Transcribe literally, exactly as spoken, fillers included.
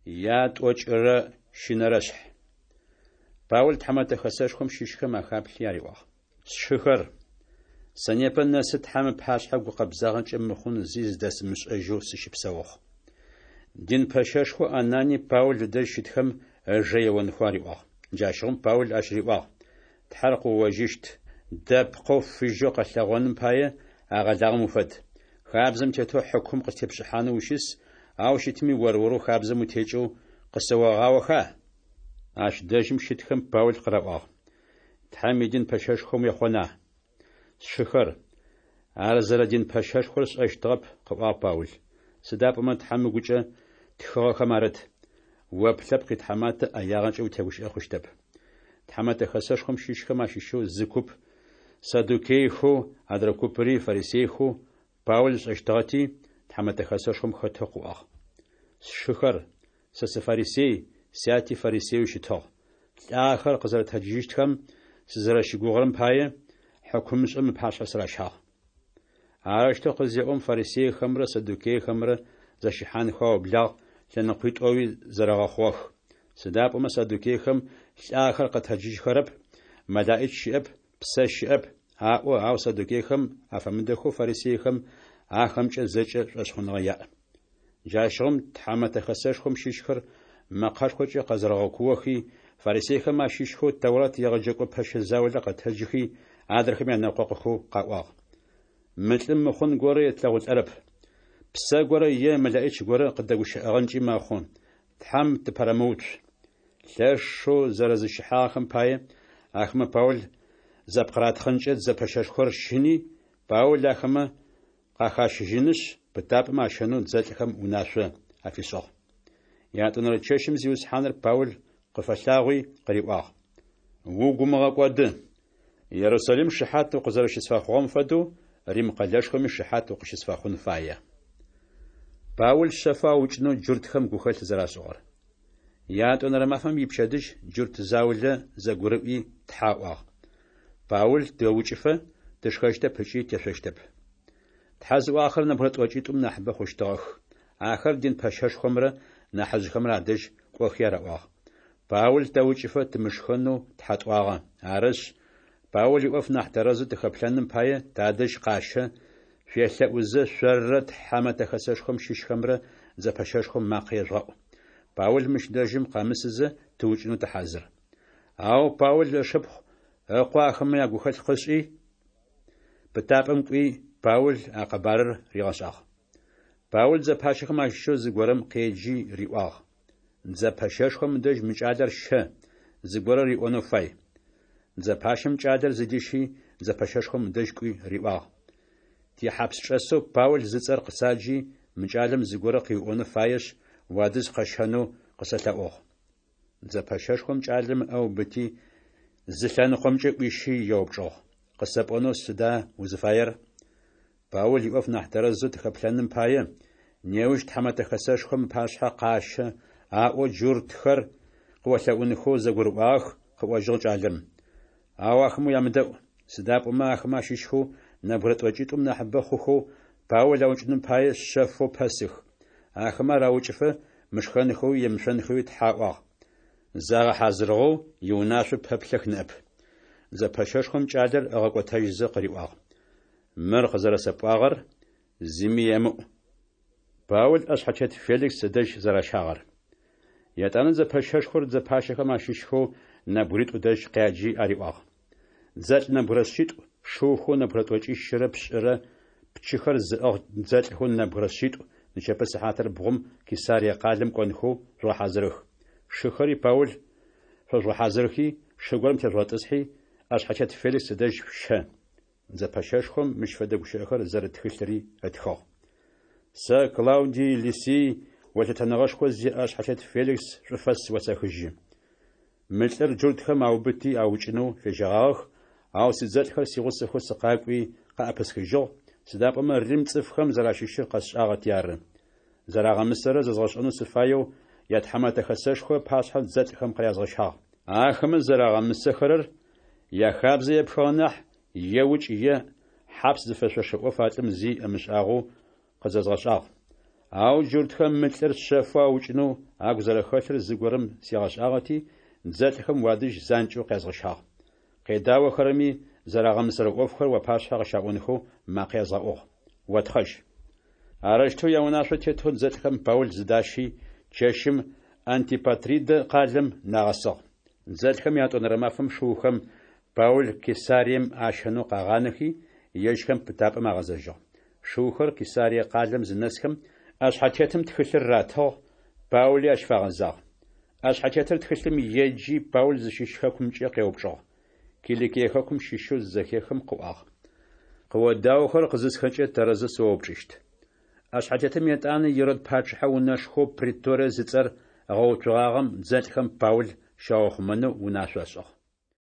Ятӏокӏырэ щынэрэшъхь. Паул тхьэмэтэ хэсэшхом щыщхэм ахаплъи ариӏуагъ: Сшыхэр, сэ непэ нэсы Тхьэм ыпашъхьэ гукъэбзагъэкӏэ мыхъун зи зыдэсымышӏэжьэу сыщыпсэугъ. Дин пэщэшхоу Ананий Паул ыдэжь щытхэм ыжэ еонхэу ариӏуагъ. Джащыгъум Паул ащ риӏуагъ: Тхьэр къыоожьыщт, дэпкъэу фыжьэу къэлъэгъоным пае агъэлагъэм уфэд. Хабзэм тетэу хьыкум къыстепшӏыхьанэу ущыс, ау щытми ор-орэу хабзэм утекӏэу къысэогъаоха? Ащ дэжьым щытхэм Паул къыраӏуагъ: Тхьэм идин пэщэшхом уехъона? Сшыхэр, ар зэрэдин пэщэшхор сшӏэщтыгъэп, къыӏуагъ Паул. Сыда пӏомэ Тхьэм ыгукӏэ тхыгъэхэм арыт: «О плъэпкъ итхьаматэ ӏэягъэкӏэ утегущыӏэ хъущтэп». Тхьэмэтэ хэсэшхом щыщхэм ащыщэу зы куп саддукейхэу, адрэ купри фарисейхэу Паул ышӏэщтыгъэти, тхьэмэтэ хэсэшхом хэтэу къыӏуагъ: Сшыхэр, сэ сыфарисей, сяти фарисееу щытыгъ. Лӏагъэхэр къызэрэтэджыжьыщтхэм сызэрэщыгугъырэм пае, хьыкумышӏэм ыпашъхьэ сыращагъ. Арэущтэу къызеӏом, фарисейхэмрэ саддукейхэмрэ зэщыхьанхэу аублагъ, лъэныкъуитӏоуи зэрэгъэхъугъэх. Сыда пӏомэ саддукейхэм лӏагъэхэр къэтэджыжьхэрэп, мэлэӏич щыӏэп, псэ щыӏэп аӏо, ау саддукейхэм афэмыдэхэу фарисейхэм ахэмкӏэ зэкӏэ шӏошъхъуныгъэ яӏ. Джащыгъум тхьэмэтэ хэсэшхом щыщхэр мэкъэшхокӏэ къэзэрэгъэкуохи, фарисейхэм ащыщхэу Тэурат егъэджэкӏо пэщэ заулэ къэтэджыхи, адрэхэм янэкъокъухэу къаӏуагъ: Мы лӏым мыхъун горэ етлъэгъулӏэрэп. Псэ горэ е мэлэӏич горэ къыдэгущыӏэгъэнкӏи мэхъу, Тхьэм тыпэрэмыуцу. Лъэшэу зэрэзэщыхьагъэхэм пае ахэмэ Паул зэпкъыратхъынкӏэ дзэ пэщэшхор щыни, Паул ахэмэ къахащыжьынышъ, пытапӏэм ащэнэу дзэлӏхэм унашъо афишӏыгъ. Ятӏонэрэ чэщым Зиусхьаныр Паул къыфэлъагъуи къыриӏуагъ: Угу умыгъэкӏоды! Ерусалим шыхьат укъызэрэщысфэхъугъэм фэдэу, Рим къэлэшхоми шыхьат укъыщысфэхъун фае. Паул шъэфэу аукӏынэу джуртхэм гухэлъ зэрашӏыгъэр. Ятӏонэрэ мафэм ипчэдыжь джурт заулэ зэгурыӏуи тхьэ аӏуагъ: Паул тэукӏыфэ тышхэщтэп ыкӏи тешъощтэп. Тхьэ зыӏуагъэхэр нэбгырэ тӏокӏитӏум нахьыбэ хъущтыгъэх. Ахэр дин пэщэшхомрэ нахьыжъхэмрэ адэжь кӏохи араӏуагъ: Паул тэукӏыфэ тымышхэнэу тхьэ тӏуагъэ. Арышъ, Паул иӏоф нахь тэрэзэу тыхэплъэным пае тадэжь къащэ, шъуелъэӏузэ шъоррэ тхьэмэтэ хэсэшхом щыщхэмрэ дзэ пэщэшхом макъэ ежъугъэӏу. Паул мыщ дэжьым къэмысызэ тыукӏынэу тыхьазыр. Ау Паул ышыпхъу ыкъо ахэмэ ягухэлъ къышӏи, пытапӏэм кӏуи, Паул а къэбарыр ригъэшӏагъ. Паул дзэ пащэхэм ащыщэу зыгорэм къеджи риӏуагъ: Дзэ пэщэшхом ыдэжь мы кӏалэр щэ, зыгорэ риӏонэу фай. Дзэ пащэм кӏалэр зыдищи, дзэ пэщэшхом ыдэжь кӏуи риӏуагъ: Тихьапсчӏэсэу Паул зыцӏэр къысаджи, мы кӏалэм зыгорэ къыуиӏонэу фаешъ, уадэжь къэсщэнэу къысэлъэӏугъ. Дзэ пэщэшхом кӏалэм ыӏэ ыубыти, зы лъэныкъомкӏэ ӏуищи еупчӏыгъ: Къысэпӏонэу сыда узыфаер? Паул иӏоф нахь тэрэзэу тыхэплъэным пае, неущ тхьэмэтэ хэсэшхом ыпашъхьэ къащэ, аӏоу джуртхэр къыолъэӏунхэу зэгурыӏуагъэх, къыӏожьыгъ кӏалэм. Ау ахэмэ уямыдэӏу, сыда пӏомэ ахэмэ ащыщхэу нэбгырэ тӏокӏитӏум нахьыбэ хъухэу Паул аукӏыным пае шъэфэу пэсых. Ахэмэ ар аукӏыфэ мышхэнхэуи емышъонхэуи тхьэ аӏуагъ. Загъэхьазырыгъэу иунашъо пэплъэх ныӏэп. Дзэ пэщэшхом кӏалэр ыгъэкӏотэжьызэ къыриӏуагъ: Мыр къызэрэсэпӏуагъэр зыми емыӏу. Паул ӏэшъхьэтет Феликс ыдэжь зэращагъэр. Етӏанэ дзэ пэщэшхор дзэ пащэхэм ащыщхэу нэбгыритӏу дэжь къяджи ариӏуагъ: Дзэлӏ нэбгырэ шъитӏу, шыухэу нэбгырэ тӏокӏищырэ пшӏырэ, пчыхэр зыӏыгъ дзэлӏхэу нэбгырэ шъитӏу нычэпэ сыхьатыр бгъум Кесарие къалэм кӏонхэу жъугъэхьазырых. Шыхэри Паул фэжъугъэхьазырхи, шы горэм тежъугъэтӏысхьи, ӏэшъхьэтет Феликс ыдэжь шъущэ. Дзэ пэщэшхом мыщ фэдэ гущыӏэхэр зэрыт тхылъыри ытхыгъ: Сэ, Клаудий Лисий, о лъытэныгъэшхо зиӏэ ӏэшъхьэтет Феликс шӏуфэс осэхыжьы. Мы лӏыр джуртхэм аубыти аукӏынэу фежьэгъагъэх, ау сидзэлӏхэр сигъусэхэу сыкъакӏуи къаӏэпысхыжьыгъ, сыда пӏомэ Рим цӏыфхэм зэращыщыр къэсшӏагъэти ары. Зэрагъэмысэрэр зэзгъэшӏэнэу сыфаеу ятхьэмэтэ хэсэшхо ыпашъхьэ дзэлӏхэм къырязгъэщагъ. Ахэмэ зэрагъэмысэхэрэр яхабзэ епхыгъэ нахь, е укӏ е хьапс зыфэшъошэ ӏоф а лӏым зи ымышӏагъэу къызэзгъэшӏагъ. Ау джуртхэм мы лӏыр шъэфэу аукӏынэу агу зэрэхэлъыр зыгорэм сигъэшӏагъэти, дзэлӏхэм уадэжь занкӏэу къязгъэщагъ. Къедаохэрэми зэрагъэмысэрэ ӏофхэр уапашъхьэ къыщаӏонхэу макъэ язгъэӏугъ. Отхъэжь. Арэущтэу яунашъо тетэу дзэлӏхэм Паул зыдащи, чэщым Антипатридэ къалэм нагъэсыгъ. Дзэлӏхэм ятӏонэрэ мафэм шыухэм Паул Кесарием ащэнэу къагъанэхи, ежьхэм пытапӏэм агъэзэжьыгъ. Шыухэр Кесарие къалэм зынэсхэм, ӏэшъхьэтетым тхылъыр ратыгъ, Паули ащ фагъэзагъ. ӏэшъхьэтетыр тхылъым еджи, Паул зыщыщ хэкумкӏэ къеупчӏыгъ. Киликие хэкум щыщэу зызэхехым къыӏуагъ. Къыодаохэрэр къызысхэкӏэ, тэрэзэу сыоупчӏыщт. ӏэшъхьэтетым етӏанэ Ирод пачъыхьэ унэшхоу преторие зыцӏэр ыгъэуцугъагъэм дзэлӏхэм Паул щаухъумэнэу унашъо ышӏыгъ.